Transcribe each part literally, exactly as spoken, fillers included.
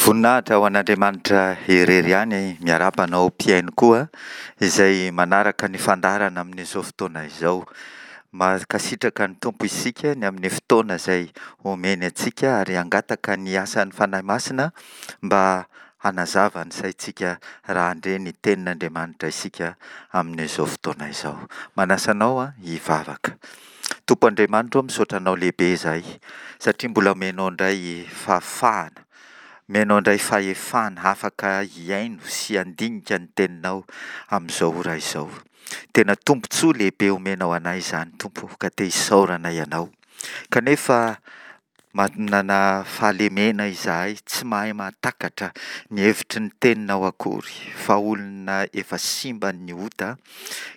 Voninahitra ho an'Andriamanitra irery ihany, miarahaba anao mpihaino koa izay manaraka ny fandaharana amin'izao fotoana izao. Mankasitraka ny Tompo isika ny amin'ny fotoana izay omeny antsika ary hangataka ny asan'ny Fanahy Masina mba hanazava ny saintsika raha handre ny tenin'Andriamanitra isika amin'izao fotoana izao. Manasa anao hivavaka. Tompo Andriamanitra ô, misaotra anao lehibe izahay satria mbola omenao indray fahafahana, omenao indray fahefana afaka hihaino sy handinika ny teninao amin'izao ora izao. Tena tombontsoa lehibe omenao anay izany Tompo ka te hisaorana ianao. Kanefa manana fahalemena izahay, tsy mahay mahatakatra ny hevitry ny teninao akory fa olona efa simban'ny ota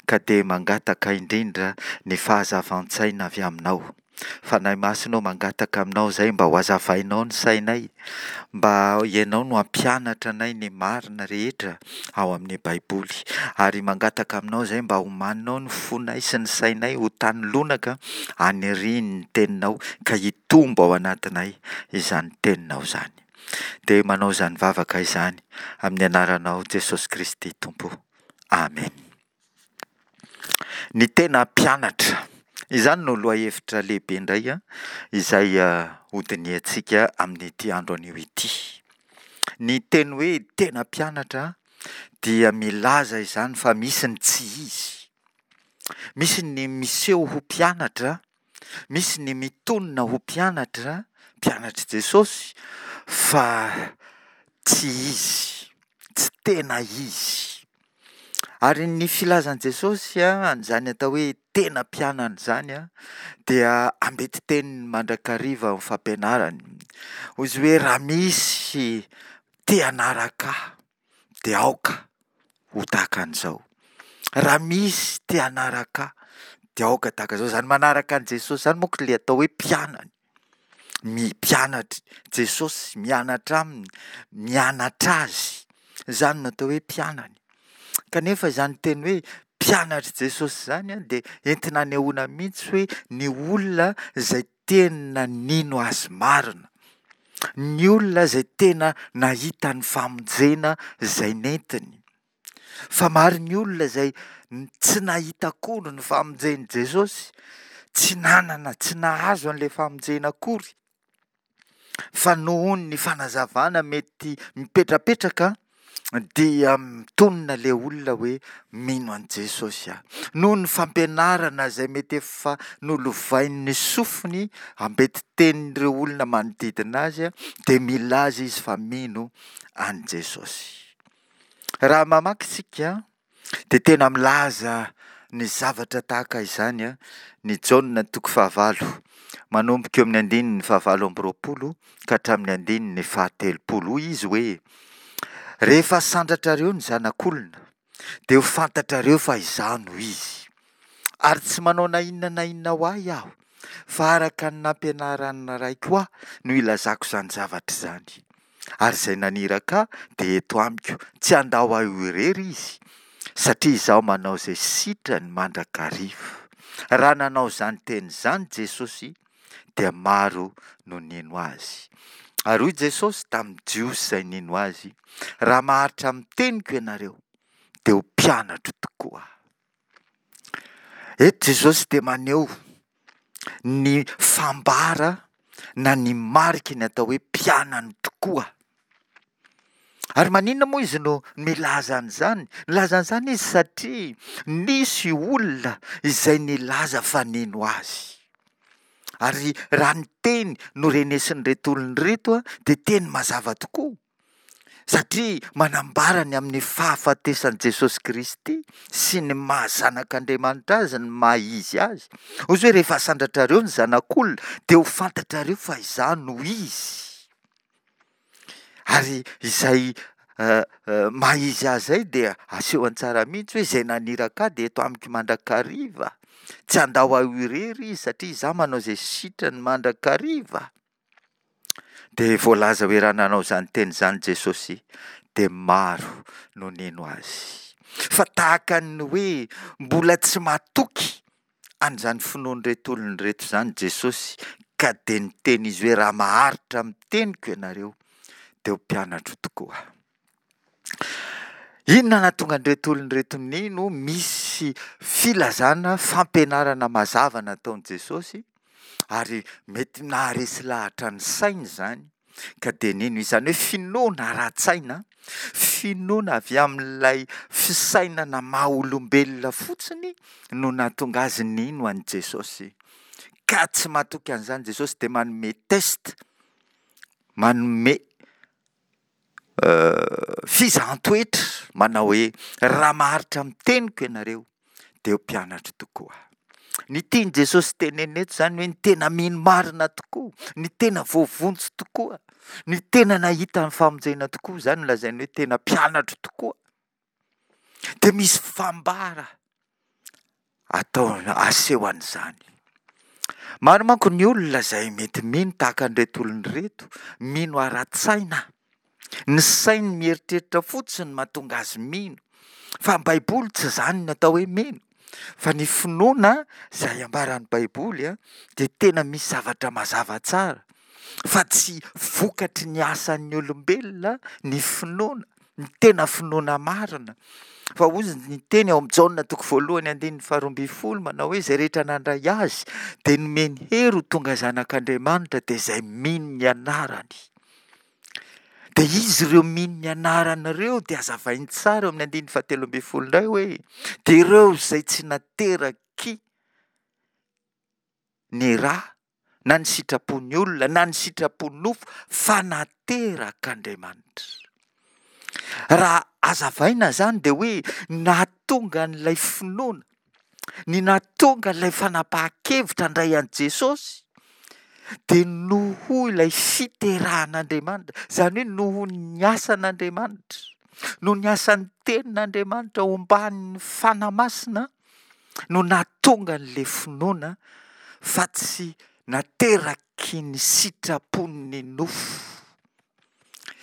ka dia mangataka indrindra ny fahazavan-tsaina avy aminao. Fanahy Masina ô, mangataka aminao izahay mba ho hazavainao ny sainay, mba ianao no hampianatra anay ny marina rehetra ao amin'ny Baiboly. Ary mangataka aminao izahay mba homaninao ny fonay sy ny sainay ho tany lonaka hanirian'ny teninao ka hitombo ao anatinay izany teninao izany. Dia manao izany vavaka izany amin'ny anaranao Jesosy Kristy Tompo. Amen. Ny tena mpianatra. Izany no lohahevitra lehibe indray izay hodinihantsika amin'ity andro anio ity. Ny teny hoe tena mpianatra dia milaza izany fa misy ny tsy izy. Misy ny miseho ho mpianatra, misy ny mitonona ho mpianatra, mpianatr'i Jesosy, fa tsy izy, tsy tena izy. Ary ny filazan'i Jesosy an'izany atao hoe tena mpianany izany dia ambeti-teniny mandrakariva amin'ny fampianarany. Hoy izy hoe raha misy te hanaraka ahy dia aoka ho tahaka an'izao. Raha misy te hanaraka ahy dia aoka tahaka an'izao. Izany manaraka an'i Jesosy izany manko ilay atao hoe mpianany. Mpianatr'i Jesosy, mianatra aminy, mianatra azy. Izany no atao hoe mpianany. Kanefa izany teny hoe mpianatr'i Jesosy izany dia entina anehoana mihitsy hoe ny olona izay tena nino azy marina. Ny olona izay tena nahita ny famonjena izay nentiny. Fa maro ny olona izay tsy nahita akory ny famonjen'i Jesosy, tsy nanana, tsy nahazo an'ilay famonjena akory, fa noho ny fanazavana mety mipetrapetraka dia mitonona ilay olona hoe mino an'i Jesosy aho. Noho ny fampianarana izay mety efa nolovain'ny sofiny ambeti-tenin'ireo olona manodidina azy dia milaza izy fa mino an'i Jesosy. Raha mamaky isika dia tena milaza ny zavatra tahaka izany ny Jaona toko fahavalo, manomboka eo amin'ny andininy fahavalo amby roapolo ka hatramin'ny andininy fahatelopolo. Hoy izy hoe, rehefa sandratrareo ny zanak'olona dia ho fantatrareo fa izaho no izy. Ary tsy manao na inona na inona ho ahy aho, fa araka ny nampianaran'ny Raiko ahy no ilazako izany zavatra izany. Ary izay naniraka ahy dia eto amiko, tsy handao ahy ho irery izy, satria izaho manao izay sitrany mandrakariva. Raha nanao izany teny izany Jesosy, dia maro no nino azy. Ary hoy Jesosy tamin'ny Jiosy izay nino azy, raha maharitra amin'ny teniko ianareo, dia ho mpianatro tokoa. Eto Jesosy dia maneho ny fambara na ny mariky ny atao hoe mpianany tokoa. Ary maninona moa izy no milaza an'izany? Nilaza an'izany izy satria nisy olona izay nilaza fa nino azy. Ary raha ny teny norenesin'ireto olona ireto dia teny mazava tokoa. Satria manambara ny amin'ny fahafatesan'i Jesosy Kristy sy ny maha zanak'Andriamanitra azy, ny maha izy azy. Hoy izy hoe rehefa asandratrareo ny zanak'olona dia ho fantatrareo fa izaho no izy. Ary izay maha izy azy izay dia asehony tsara mihitsy hoe izay naniraka ahy dia eto amiko mandrakariva. Tsy handao ahy ho irery izy satria izaho manao izay sitrany mandrakariva. Dia voalaza hoe raha nanao izany teny izany Jesosy dia maro no nino azy. Fa tahaka ny hoe mbola tsy matoky an'izany finoan'ireto olona ireto izany Jesosy ka dia niteny izy hoe raha maharitra amin'ny teniko ianareo dia ho mpianatro tokoa. Inona nahatonga an'ireto olona ireto nino? Misy filazana, fampianarana mazava nataon'i Jesosy, ary mety naharesy lahatra ny sainy izany, ka dia nino. Izany hoe finoana ara-tsaina, finoana avy amin'ilay fisainana maha-olombelona fotsiny no nahatonga azy nino an'i Jesosy. Ka tsy matoky an'izany Jesosy dia manome test, manome fizahan-toetra, manao hoe, raha maharitra amin'ny teniko ianareo, dia ho mpianatro tokoa. Ny tian'i Jesosy tenenina eto izany hoe ny tena mino marina tokoa, ny tena voavonjy tokoa, ny tena nahita ny famonjena tokoa, izany no lazainy hoe tena mpianatro tokoa. Dia misy fambara atao, aseho an'izany. Maro manko ny olona izay mety mino tahaka an'ireto olona ireto, mino ara-tsaina. Ny sainy mieritreritra fotsiny mahatonga azy mino. Fa ny Baiboly tsy izany ny atao hoe mino. Fa ny finoana izay ambaran'ny Baiboly dia tena misy zavatra mazava tsara. Fa tsy vokatry ny asan'ny olombelona ny finoana, ny tena finoana marina. Fa hoy ny teny ao amin'ny Jaona toko voalohany andininy faharoa ambin'ny folo manao hoe izay rehetra nandray azy dia nomeny hery ho tonga zanak'Andriamanitra dia izay mino ny anarany. Dia izy ireo mino ny anarany ireo dia hazavainy tsara eo amin'ny andininy fahatelo ambin'ny folo indray hoe dia ireo izay tsy nateraky ny ra na ny sitrapon'ny olona na ny sitrapon'ny nofo fa naterak'Andriamanitra. Raha hazavaina izany dia hoe nahatonga an'ilay finoana, ny nahatonga ilay fanapahan-kevitra handray an'i Jesosy dia noho ilay fiterahan'Andriamanitra, izany hoe noho ny asan'Andriamanitra, noho ny asan'ny tenin'Andriamanitra omban'ny Fanahy Masina no nahatonga an'ilay finoana fa tsy nateraky ny sitrapon'ny nofo.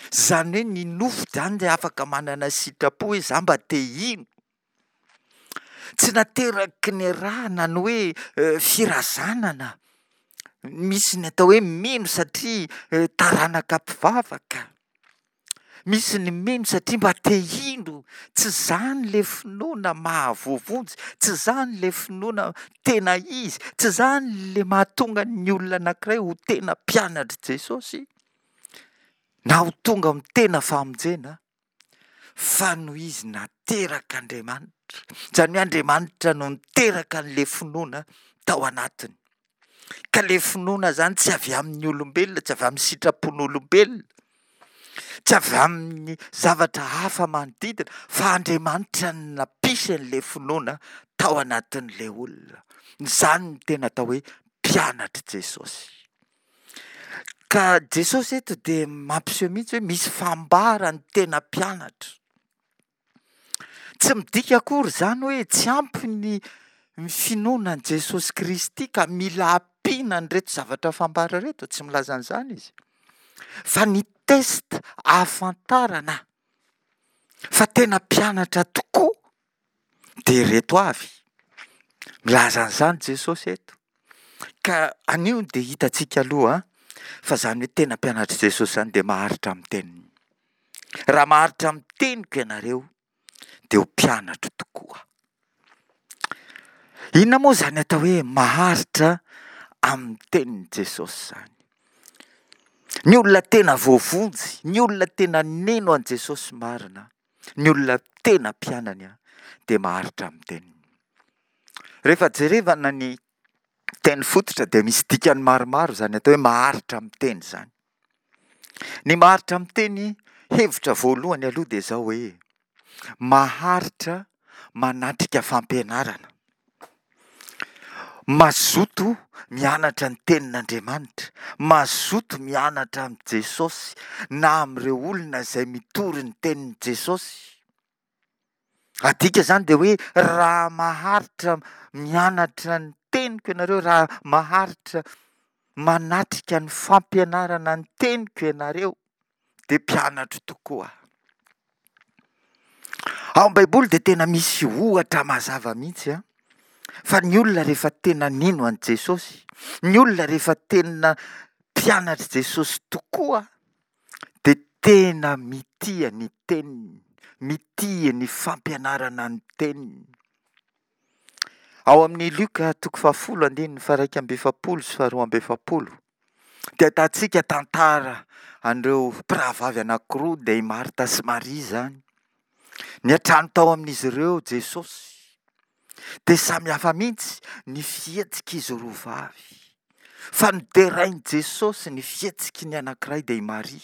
Izany hoe ny nofo izany dia afaka manana sitrapo hoe za mba te hino. Tsy nateraky ny ra na ny hoe firazanana. Misy ny atao hoe mino satria taranaka mpivavaka. Misy ny mino satria mba te hino. Tsy izany ilay finoana mahavoavonjy, tsy izany ilay finoana tena izy, tsy izany ilay mahatonga ny olona anankiray ho tena mpianatr'i Jesosy na ho tonga amin'ny tena famonjena, fa noho izy naterak'Andriamanitra. Izany hoe Andriamanitra no niteraka an'ilay finoana tao anatiny. Ka ilay finoana izany tsy avy amin'ny olombelona, tsy avy amin'ny sitrapon'olombelona, tsy avy amin'ny zavatra hafa manodidina, fa Andriamanitra no nampisy an'ilay finoana tao anatin'ilay olona. Izany no tena atao hoe mpianatr'i Jesosy. Ka Jesosy eto dia mampiseho mihitsy hoe misy fambara ny tena mpianatra. Tsy midika akory izany hoe tsy ampy ny finoana an'i Jesosy Kristy ka mila ampiana an'ireto zavatra fambara ireto, tsy milaza an'izany izy. Fa ny test ahafantarana fa tena mpianatra tokoa dia ireto avy. Milaza an'izany Jesosy eto. Ka anio dia hitantsika aloha fa izany hoe tena mpianatr'i Jesosy izany dia maharitra amin'ny teniny. Raha maharitra amin'ny teniko ianareo dia ho mpianatro tokoa. Inona moa izany atao hoe maharitra amin'ny tenin'i Jesosy izany? Ny olona tena voavonjy, ny olona tena nino an'i Jesosy marina, ny olona tena mpianany dia maharitra amin'ny teniny. Rehefa jerevana ny teny fototra dia misy dikany maromaro izany atao hoe maharitra amin'ny teny izany. Ny maharitra amin'ny teny, hevitra voalohany aloha dia izao hoe maharitra manatrika fampianarana, mazoto mianatra ny tenin'Andriamanitra, mazoto mianatra amin'i Jesosy na amin'ireo olona izay mitory ny tenin'i Jesosy. Adika izany dia hoe raha maharitra mianatra ny teniko ianareo, raha maharitra manatrika ny fampianarana ny teniko ianareo, dia mpianatro tokoa. Ao amin'ny Baiboly dia tena misy ohatra mazava mihitsy an, fa ny olona rehefa tena nino an'i Jesosy, ny olona rehefa tena mpianatr'i Jesosy tokoa, dia tena mitia ny teniny, mitia ny fampianarana ny teniny. Ao amin'ny Lioka toko fahafolo andininy faha-iraika amby efapolo sy faharoa amby efapolo dia ahitantsika tantara an'ireo mpirahavavy anankiroa dia i Marta sy Maria izany. Niantrano tao amin'izy ireo Jesosy. Dia samy hafa mihitsy ny fihetsik'izy roa vavy. Fa noderain'i Jesosy ny fihetsiky ny anankiray dia i Maria.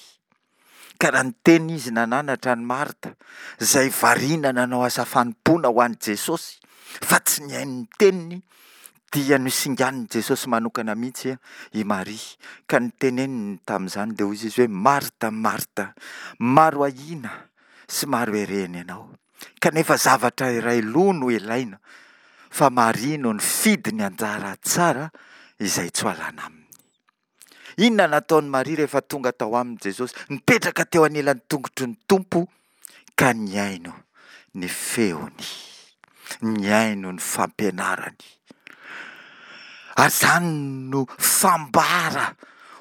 Ka raha niteny izy nananatra an'i Marta, izay variana nanao asa fanompoana ho an'i Jesosy, fa tsy nihaino ny teniny, dia nosinganin'i Jesosy manokana mihitsy i Maria. Ka niteneniny tamin'izany dia hoy izy hoe, Marta, Marta, maro ahiana sy maro herehina ianao. Kanefa zavatra iray loha no ilaina, fa Maria no nifidy ny anjara tsara izay tsy ho alana aminy. Inona nataon'i Maria rehefa tonga tao aminy Jesosy? Nipetraka teo anilan'ny tongotry ny Tompo ka nihaino ny feony, nihaino ny fampianarany. Ary izany no fambara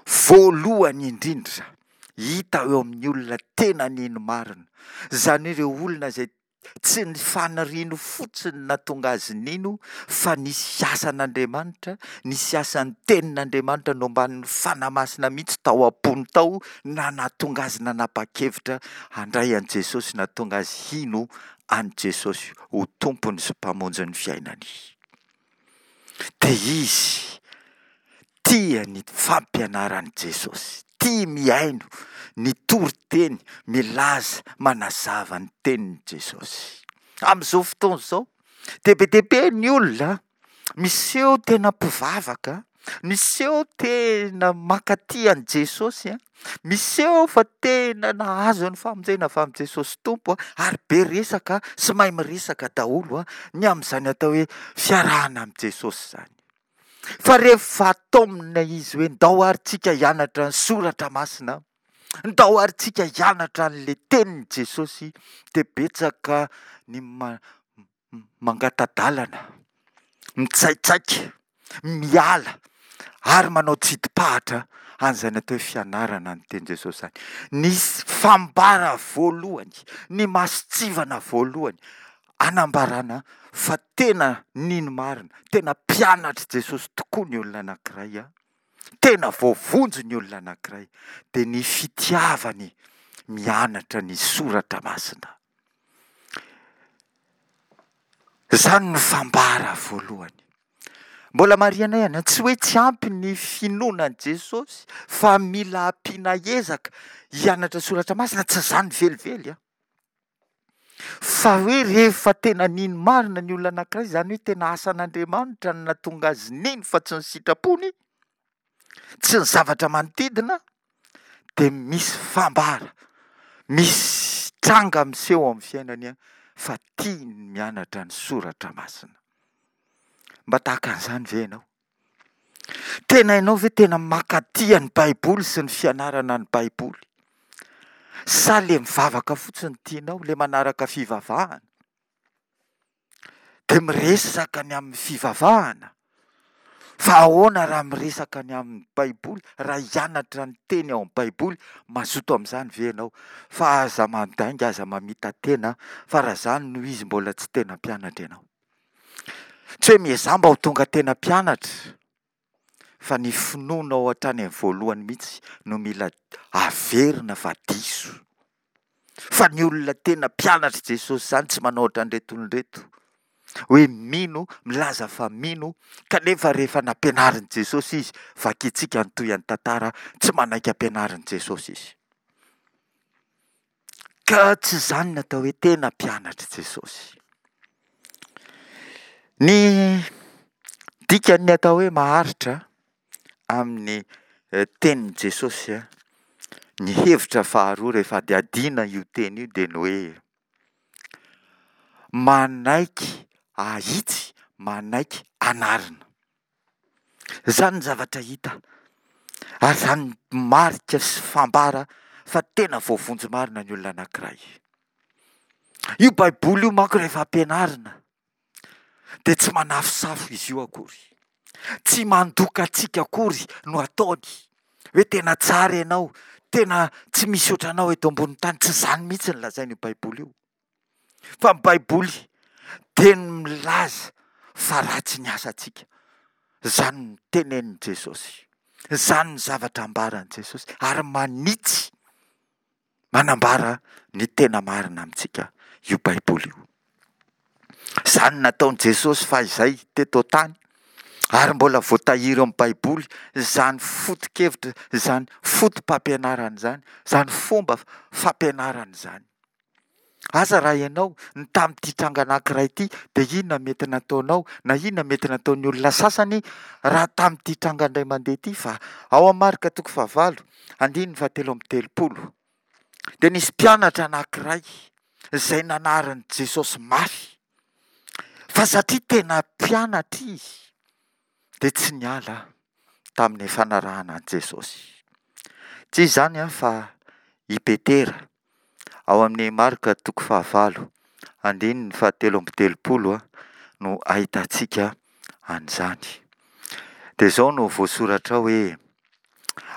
voalohany indrindra hita eo amin'ny olona tena nino marina. Izany hoe ireo olona izay tsy ny faniriany fotsiny no nahatonga azy nino fa nisy asan'Andriamanitra, nisy asan'ny tenin'Andriamanitra nombanin'ny Fanahy Masina mihitsy tao am-pony tao na nahatonga azy nanapa-kevitra handray an'i Jesosy, nahatonga azy hino an'i Jesosy ho Tompony sy Mpamonjy ny fiainany. Dia izy tia ny fampianaran'i Jesosy, tia mihaino ny toriteny milaza manazava ny tenin'i Jesosy. Amin'izao fotoana izao dia be dia be ny olona miseho tena mpivavaka, miseho tena mankatia an'i Jesosy, miseho fa tena nahazo ny famonjena avy amin'i Jesosy Tompo ary be resaka sy mahay miresaka daholo ny amin'izany atao hoe fiarahana amin'i Jesosy izany. Fa rehefa taomina izy hoe ndao ary tsika hianatra ny soratra masina, ndao ary tsika hianatra an'ilay tenin'i Jesosy, dia betsaka ny mangata-dalana, mitsaitsaika, miala ary manao tsidi-pahatra an'izany atao hoe fianarana ny tenin'i Jesosy izany. Ny fambara voalohany, ny mason-tsivana voalohany anambarana fa tena nino marina, tena mpianatr'i Jesosy tokoa ny olona anankiray, tena voavonjy ny olona anankiray, dia ny fitiavany mianatra ny soratra masina. Izany no fambara voalohany. Mbola marihana ihany, tsy hoe tsy ampy ny finoana an'i Jesosy fa mila ampiana ezaka hianatra soratra masina, tsy izany velively an. Fa hoe rehefa tena nino marina ny olona anankiray, izany hoe tena asan'Andriamanitra no nahatonga azy nino fa tsy ny sitrapony, tsy ny zavatra manodidina, dia misy fambara, misy tranga miseho amin'ny fiainany fa tiany ny mianatra ny soratra masina. Mba tahaka an'izany ve ianao? Tena ianao ve tena mankatia ny Baiboly sy ny fianarana ny Baiboly? Sa le mivavaka fotsiny tianao, le manaraka fivavahana? Dia miresaka ny amin'ny fivavahana? Fa ahoana raha miresaka ny amin'ny Baiboly, raha hianatra ny teny ao amin'ny Baiboly, mazoto amin'izany ve ianao? Fa aza mandainga, aza mamita-tena, fa raha izany no izy mbola tsy tena mpianatra ianao. Tsy hoe miezaha mba ho tonga tena mpianatra, fa ny finoanao hatrany amin'ny voalohany mihitsy no mila averina fa diso. Fa ny olona tena mpianatr'i Jesosy izany tsy manao ohatran'ireto olona ireto. Hoe mino, milaza fa mino, kanefa rehefa nampianarin'i Jesosy izy, vakintsika ny tohin'ny tantara, tsy manaiky ampianarin'i Jesosy izy. Ka tsy izany ny atao hoe tena mpianatr'i Jesosy. Ny dikan'ny atao hoe maharitra amin'ny eh, tenin'i Jesosy, eh, ny hevitra faharoa rehefa adihadiana io teny io dia ny hoe manaiky ahitsy, manaiky anarina. Izany ny zavatra hita ary izany marika sy fambara fa tena voavonjy marina ny olona anankiray. Io Baiboly io manko rehefa ampianarina dia tsy manafosafo izy io akory. Tsy mandoka antsika akory no ataony. Hoe tena tsara ianao, tena tsy misy ohatranao eto ambonin'ny tany. Tsy izany mihitsy no lazain'io Baiboly io. Fa ny Baiboly dia milaza fa ratsy ny asantsika. Izany no tenenin'i Jesosy. Izany ny zavatra ambaran'i Jesosy. Ary manitsy, manambara ny tena marina amintsika io Baiboly io. Izany nataon'i Jesosy fahizay teto an-tany, ary mbola voatahiry ao amin'ny Baiboly izany foto-kevitra, izany foto-pampianarana izany, izany fomba fampianarana izany. Asa raha ianao no tamin'ity tranga anankiray ity dia inona mety nataonao na inona mety nataon'ny olona sasany raha tamin'ity tranga indray mandeha ity fa ao amin'ny Marka toko fahavalo andininy fahatelo amby telopolo dia nisy mpianatra anankiray izay nanarin'i Jesosy mafy fa satria tena mpianatra izy dia tsy niala tamin'ny fanarahana an'i Jesosy. Tsy iza izany fa i Petera. Ao amin'ny Marka toko fahavalo andininy fahatelo amby telopolo no ahitantsika an'izany. Dia izao no voasoratra ao hoe: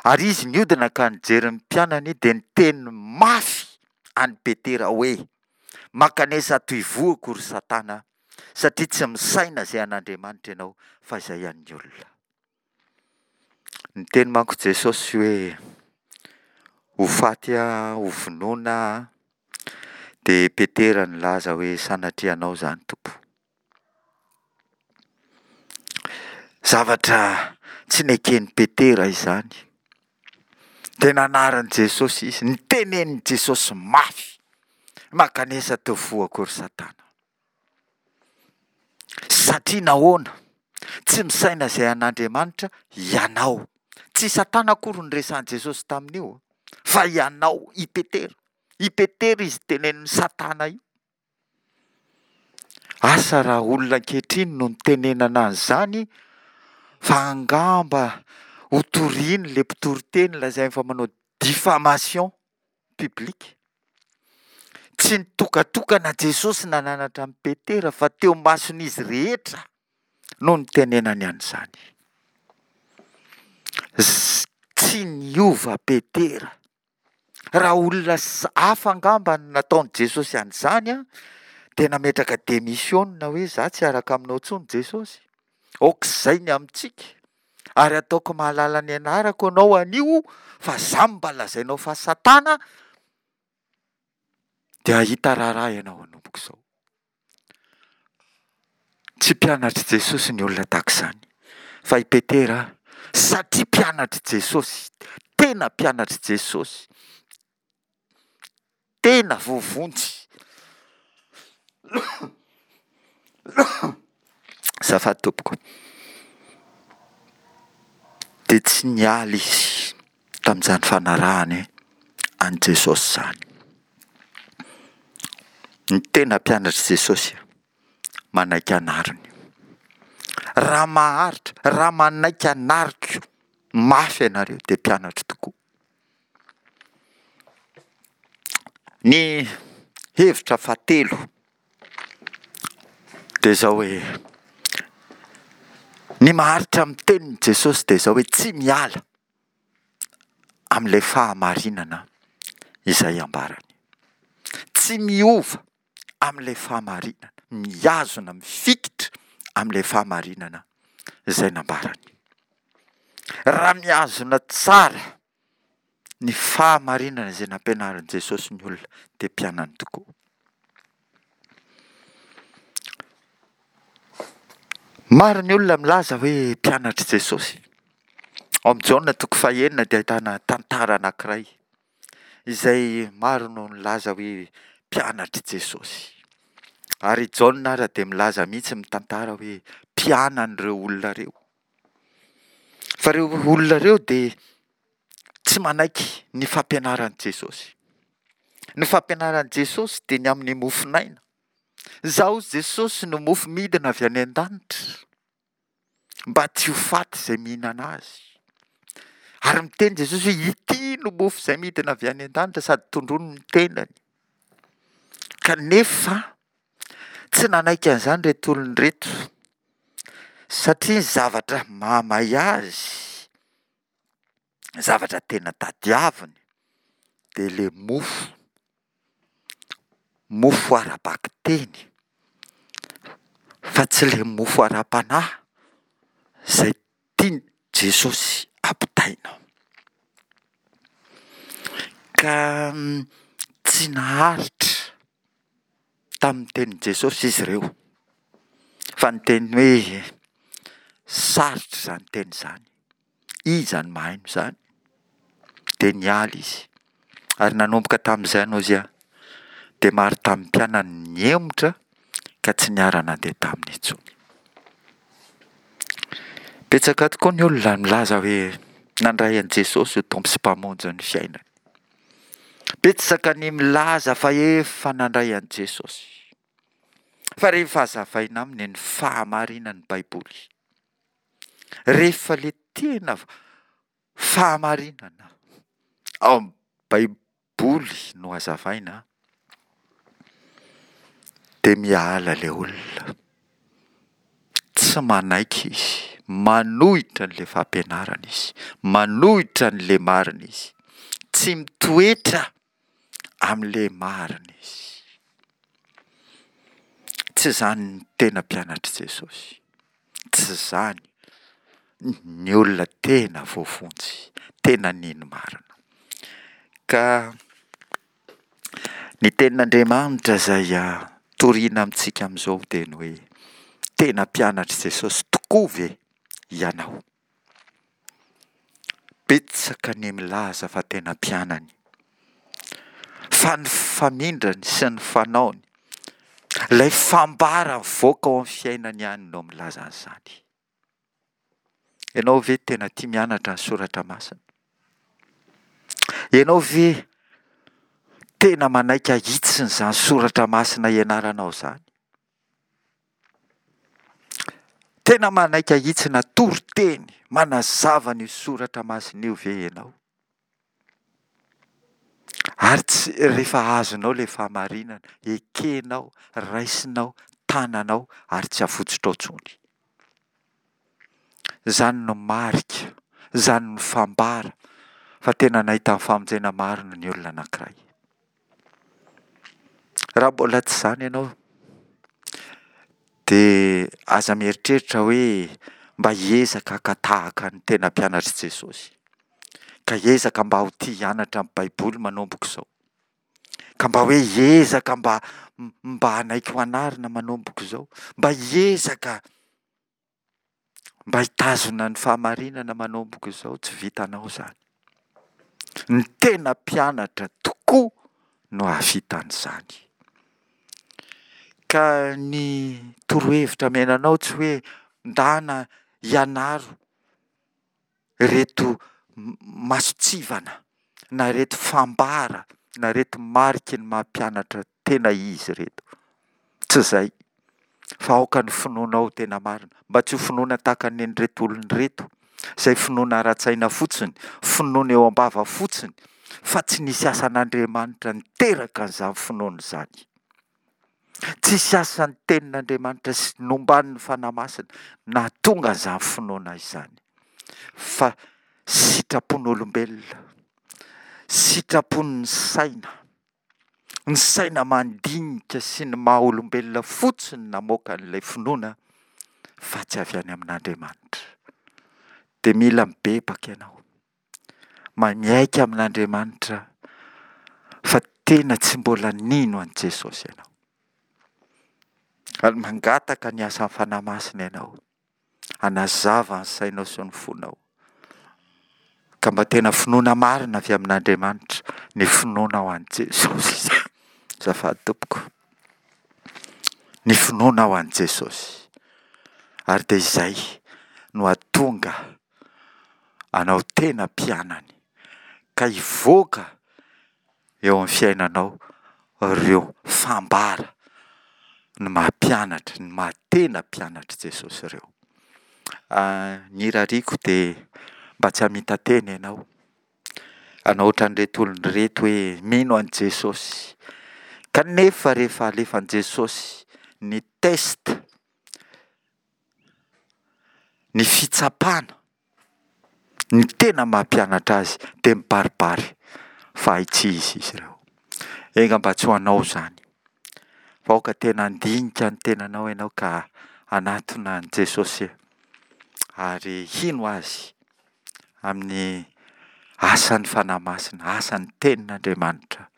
Ary izy niodina ka nijery ny mpianany dia niteny mafy an'i Petera hoe, Mankanesa ato ivohoko ry Satana, satria tsy misaina izay an'Andriamanitra ianao fa izay an'ny olona. Niteny manko Jesosy hoe ho faty aho, ho vonoina aho. Dia Petera nilaza hoe sanatria anao izany Tompo. Zavatra tsy neken'i Petera izany. Dia nanarin'i Jesosy izy, nitenenin'i Jesosy mafy, mankanesa teo vohako ry Satana. Satria nahoana? Tsy misaina izay an'Andriamanitra ianao. Tsy Satana akory no resahin'i Jesosy tamin'io, fa ianao, i Petera. I Petera izy tenenin'i Satana io. Asa raha olona ankehitriny no nitenenana an'izany, fa angamba hotoriany ilay mpitoriteny lazainy fa manao diffamation publique. Tsy nitokatokana Jesosy nananatra an'i Petera fa teo mason'izy rehetra no nitenenany an'izany. Tsy niova Petera. Raha olona hafa angamba no nataon'i Jesosy an'izany an, dia nametraka demisiona hoe za tsy hiaraka aminao intsony Jesosy. Aok'izay ny amintsika. Ary ataoko mahalala ny anarako ianao anio fa za mba lazainao fa Satana dia hahita raharaha ianao hanomboka izao. Tsy mpianatr'i Jesosy ny olona tahaka izany. Fa i Petera, satria mpianatr'i Jesosy, tena mpianatr'i Jesosy, tena voavonjy. Azafady tompoko. Dia tsy niala izy tamin'izany fanarahany an'i Jesosy izany. Ny tena mpianatr'i Jesosy manaiky anariny. Raha maharitra, raha manaiky anariko mafy ianareo dia mpianatro tokoa. Ny hevitra fahatelo dia izao hoe, ny maharitra amin'ny tenin'i Jesosy dia izao hoe tsy miala amin'ilay fahamarinana izay ambarany. Tsy miova amin'ilay fahamarinana, mihazona, mifikitra amin'ilay fahamarinana izay nambarany. Raha mihazona tsara ny fahamarinana izay nampianarin'i Jesosy ny olona dia mpianany tokoa. Maro ny olona milaza hoe mpianatr'i Jesosy. Ao amin'i Jaona toko fahenina dia ahitana tantara anankiray izay maro no nilaza hoe mpianatr'i Jesosy. Ary i Jaona ara dia milaza mihitsy mitantara hoe mpianany ireo olona ireo. Fa ireo olona ireo dia tsy manaiky ny fampianaran'i Jesosy. Ny fampianaran'i Jesosy dia ny amin'ny mofon'aina. Izaho Jesosy no mofo midina avy any an-danitra, mba tsy ho faty izay mihinana azy. Ary miteny Jesosy hoe ity no mofo izay midina avy any an-danitra sady tondroiny ny tenany. Kanefa tsy nanaiky an'izany ireto olona ireto, satria ny zavatra mahamay azy, ny zavatra tena tadiaviny, dia ilay mofo, mofo ara-bakiteny, fa tsy ilay mofo ara-panahy izay tian'i Jesosy ampitaina. Ka tsy naharitra tamin'ny tenin'i Jesosy izy ireo, fa niteny hoe sarotra izany teny izany, iza no mahaino izany? Dia niala izy. Ary nanomboka tamin'izany hozy aho, dia maro tamin'ny mpianany nihemotra ka tsy niara-nandeha taminy intsony. Betsaka tokoa ny olona milaza hoe nandray an'i Jesosy ho Tompo sy Mpamonjy ny fiainany. Betsaka ny milaza fa efa nandray an'i Jesosy. Fa rehefa hazavaina aminy ny fahamarinan'ny Baiboly, rehefa ilay tena fahamarinana ao amin'ny Baiboly no hazavaina, dia miala ilay olona. Tsy manaiky izy, manohitra an'ilay fampianarana izy, manohitra an'ilay marina izy, tsy mitoetra amin'ilay marina izy. Tsy izany ny tena mpianatr'i Jesosy. Tsy izany ny olona tena voavonjy, tena nino marina. Ka ny tenin'Andriamanitra izay torina amintsika amin'izao dia ny hoe tena mpianatr'i Jesosy tokoa ve ianao? Betsaka ny milaza fa tena mpianany, fa ny famindrany sy ny fanaony, ilay fambara mivoaka ao amin'ny fiainany ihany no milaza an'izany. Ianao ve tena tia mianatra ny soratra masina? Ianao ve tena manaiky ahitsiny izany soratra masina ianaranao izany? Tena manaiky ahitsina toriteny manazava an'io soratra masina io ve ianao? Ary tsy rehefa azonao ilay fahamarinana, ekenao, raisinao, tananao ary tsy avotsitrao intsony. Izany no marika, izany no fambara fa tena nahita ny famonjena marina ny olona anankiray. Raha mbola tsy izany ianao, dia aza mieritreritra hoe mba hiezaka haka tahaka ny tena mpianatr'i Jesosy, ka hiezaka mba ho tia hianatra ny Baiboly manomboka izao, ka mba hoe hiezaka mba mba hanaiky ho anarina manomboka izao, mba hiezaka mba hitazona ny fahamarinana manomboka izao, tsy vitanao izany. Ny tena mpianatra tokoa no hahavita an'izany. Ka ny torohevitra omena anao tsy hoe ndana ianaro ireto mason-tsivana na ireto fambara na ireto mariky ny maha mpianatra tena izy ireto. Tsy izay, fa aoka ny finoanao ho tena marina, mba tsy ho finoana tahaka ny an'ireto olona ireto, izay finoana ara-tsaina fotsiny, finoana eo am-bava fotsiny, fa tsy nisy asan'Andriamanitra niteraka an'izany finoana izany. Tsisy asan'ny tenin'Andriamanitra sy nomban'ny Fanahy Masina nahatonga an'izany finoana izany, fa sitrapon'olombelona, sitrapon'ny saina, ny saina mandinika sy ny maha olombelona fotsiny namoaka an'ilay finoana fa tsy avy any amin'Andriamanitra. Dia mila mibebaka ianao, miaiky amin'Andriamanitra fa tena tsy mbola nino an'i Jesosy ianao. Ary mangataka ny asan'ny Fanahy Masina ianao hanazava ny sainao sy ny fonao. Ka mba tena finoana marina avy amin'Andriamanitra ny finoanao an'i Jesosy. Azafady tompoko. Ny finoanao an'i Jesosy. Ary dia izay no hahatonga anao tena mpianany ka hivoaka eo amin'ny fiainanao ireo fambara ny maha mpianatra, ny maha tena mpianatr'i Jesosy ireo. Ny irariako dia mba tsy hamita-tena ianao, hanao ohatran'ireto olona ireto hoe mino an'i Jesosy, kanefa rehefa alefan'i Jesosy ny test, ny fitsapana, ny tena maha mpianatra azy dia mibaribary fa hay tsy izy izy ireo. Enga mba tsy ho anao izany, fa aoka tena handinika ny tenanao ianao ka hanatona an'i Jesosy ary hino Azy amin'ny asan'ny Fanahy Masina, asan'ny Tenin'Andriamanitra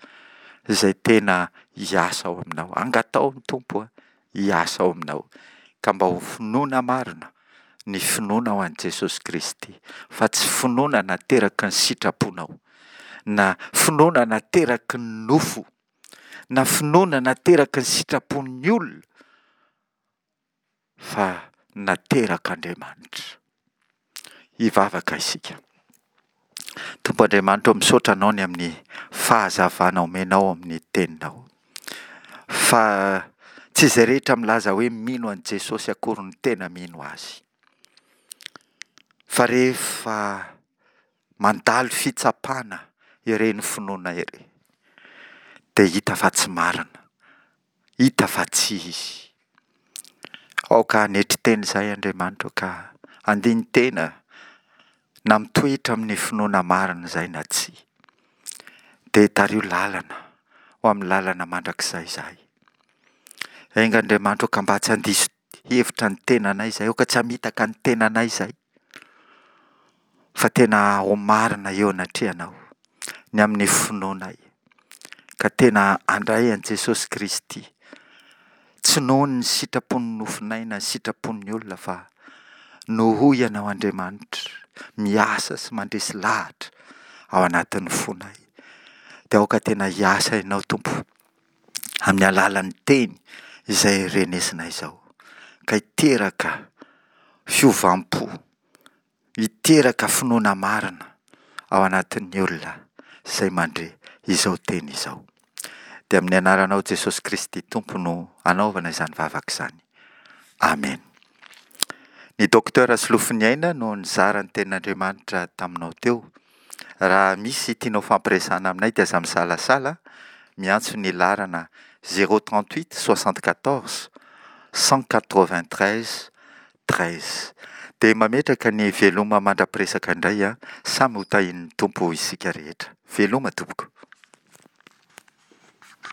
izay tena hiasa ao aminao. Angataho ny Tompo hiasa ao aminao, ka mba ho finoana marina ny finoanao an'i Jesosy Kristy, fa tsy finoana nateraky ny sitraponao, na finoana nateraky ny nofo, na finoana nateraky ny sitrapon'ny olona, fa naterak'Andriamanitra. Hivavaka isika. Tompo Andriamanitra ô, misaotra Anao ny amin'ny fahazavana omenao amin'ny Teninao. Fa tsy izay rehetra milaza hoe mino an'i Jesosy akory no tena mino Azy. Fa rehefa mandalo fitsapana ireny finoana ireny, dia hita fa tsy marina, hita fa tsy izy. Aoka hanetry tena izahay Andriamanitra ô ka handini-tena na mitoetra amin'ny finoana marina izahay na tsia. Dia tariho lalana ho amin'ny lalana mandrakizay izahay. Enga Andriamanitra ô ka mba tsy handiso hevitra ny tenanay izahay, aoka tsy hamitaka ny tenanay izahay, fa tena ho marina eo anatrehanao ny amin'ny finoanay, ka tena handray an'i Jesosy Kristy, tsy noho ny sitrapon'ny nofonay na ny sitrapon'ny olona fa noho Ianao Andriamanitra miasa sy mandresy lahatra ao anatin'ny fonay. Dia aoka tena hiasa Ianao Tompo amin'ny alalan'ny teny izay renesinay izao, ka hiteraka fiovam-po, hiteraka finoana marina ao anatin'ny olona izay mandre izao teny izao. Dia amin'ny anaranao Jesosy Kristy Tompo no anaovana izany vavaka izany. Amen. Ny Docteur Solofoniaina no nizara ny tenin'Andriamanitra taminao teo. Raha misy tianao fampiresahana aminay dia aza misalasala miantso ny laharana zéro trente huit soixante quatorze cent quatre vingt treize treize. Dia mametraka ny veloma mandra-piresaka indray an, samy ho tahian'ny Tompo isika rehetra. Veloma tompoko.